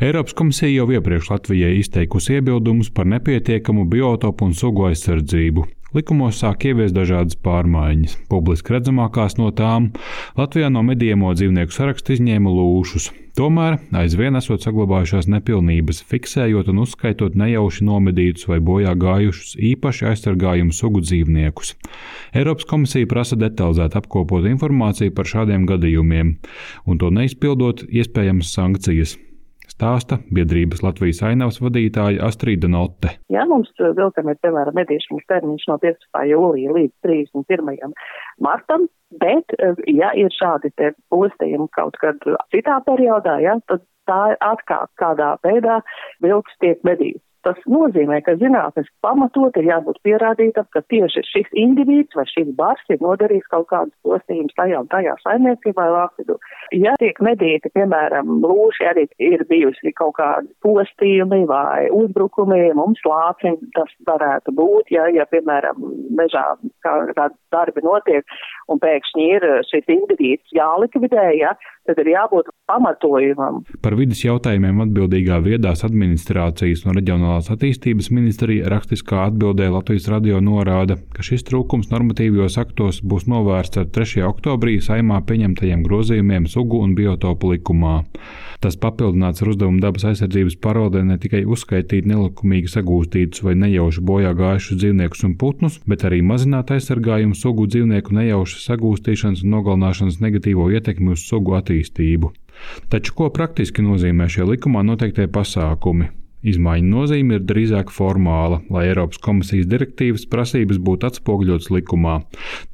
Eiropas komisija jau iepriekš Latvijai izteikusi iebildumus par nepietiekamu biotopu un sugu aizsardzību. Likumos sāk ieviest dažādas pārmaiņas. Publiski redzamākās no tām Latvijā no medījamo dzīvnieku saraksta izņēma lūšus. Tomēr aizvien esot saglabājušās nepilnības, fiksējot un uzskaitot nejauši nomedītus vai bojā gājušus īpaši aizsargājumu sugu dzīvniekus. Eiropas komisija prasa detalizēt apkopot informāciju par šādiem gadījumiem, un to neizpildot iespējamas sankcijas. Stāsta biedrības Latvijas ainavas vadītāja Astrīda Notte. Jā, mums vilkam ir, piemēram, medīšanas termiņš no 15. jūlija līdz 31. martam, bet, ja ir šādi te postījumi kaut kad citā periodā, ja, tad tā ir atkal kādā veidā vilks tiek medīts. Tas nozīmē, ka zinātniski pamatot ir jābūt pierādītam, ka tieši šis individs vai šis bars ir nodarījis kaut kādus postījumus tajā un tajā saimniecībā vai vārtvidū. Ja tiek medīti, piemēram, lūši, arī ir bijusi kaut kādi postījumi vai uzbrukumi, mums lācim tas varētu būt, ja piemēram, mežā kādi darbi notiek un pēkšņi ir šis individs jālikvidē, tad ir jābūt pamatojumam. Par vides jautājumiem atbildīgā viedās administrācijas un reģionālās attīstības ministrija rakstiskā atbildē Latvijas radio norāda, ka šis trūkums normatīvajos aktos būs novērsts ar 3. oktobrī Saeimā pieņemtajiem grozījumiem sugu un biotopu likumā. Tas papildināts ar uzdevumu dabas aizsardzības pārvaldē ne tikai uzskaitīt nelikumīgi sagūstītus vai nejauši bojā gājušus dzīvniekus un putnus, bet arī mazināt aizsargājumu sugu dzīvnieku nejaušas sagūstīšanas un nogalināšanas negatīvo ietekmi uz sugu attīstību. Taču ko praktiski nozīmē šie likumā noteiktie pasākumi? Izmaiņu nozīme ir drīzāk formāla, lai Eiropas komisijas direktīvas prasības būtu atspoguļotas likumā.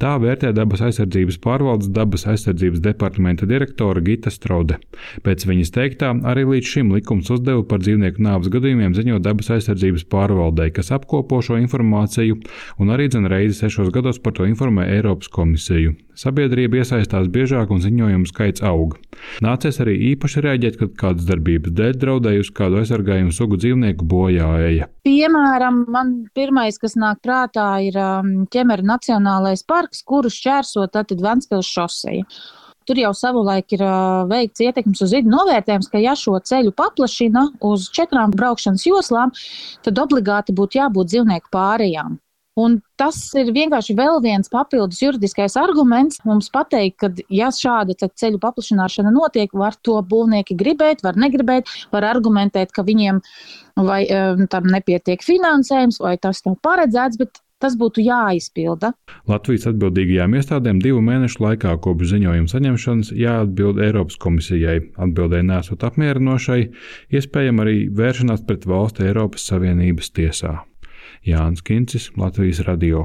Tā vērtē dabas aizsardzības pārvaldes dabas aizsardzības departamenta direktore Gita Strode. Pēc viņas teiktā, arī līdz šim likums uzdeva par dzīvnieku nāves gadījumiem ziņot dabas aizsardzības pārvaldei, kas apkopo šo informāciju un arī reizi 6 gados par to informē Eiropas komisiju. Sabiedrība iesaistās biežāk un ziņojumu skaits aug. Nācies arī īpaši reaģēt, kad kādas darbības dēļ draudējusi kādu aizsargājumu sugu dzīvnieku bojāēja. Piemēram, man pirmais, kas nāk prātā, ir Ķemera Nacionālais parks, kuru šķērso tātad Ventspils šoseja. Tur jau savulaik ir veikts ietekmes uz vidi novērtējums, ka ja šo ceļu paplašina uz 4 braukšanas joslām, tad obligāti būtu jābūt dzīvnieku pārējām. Un tas ir vienkārši vēl viens papildus juridiskais arguments mums pateikt, ka ja šāda ceļu paplašināšana notiek, var to būvnieki gribēt, var negribēt, var argumentēt, ka viņiem vai tam nepietiek finansējums, vai tas nav paredzēts, bet tas būtu jāizpilda. Latvijas atbildīgajām iestādēm 2 mēnešu laikā kopš ziņojuma saņemšanas jāatbild Eiropas komisijai. Atbildē nesot apmierinošai, iespējama arī vēršanās pret valsti Eiropas Savienības tiesā. Jānis Kincis, Latvijas radio.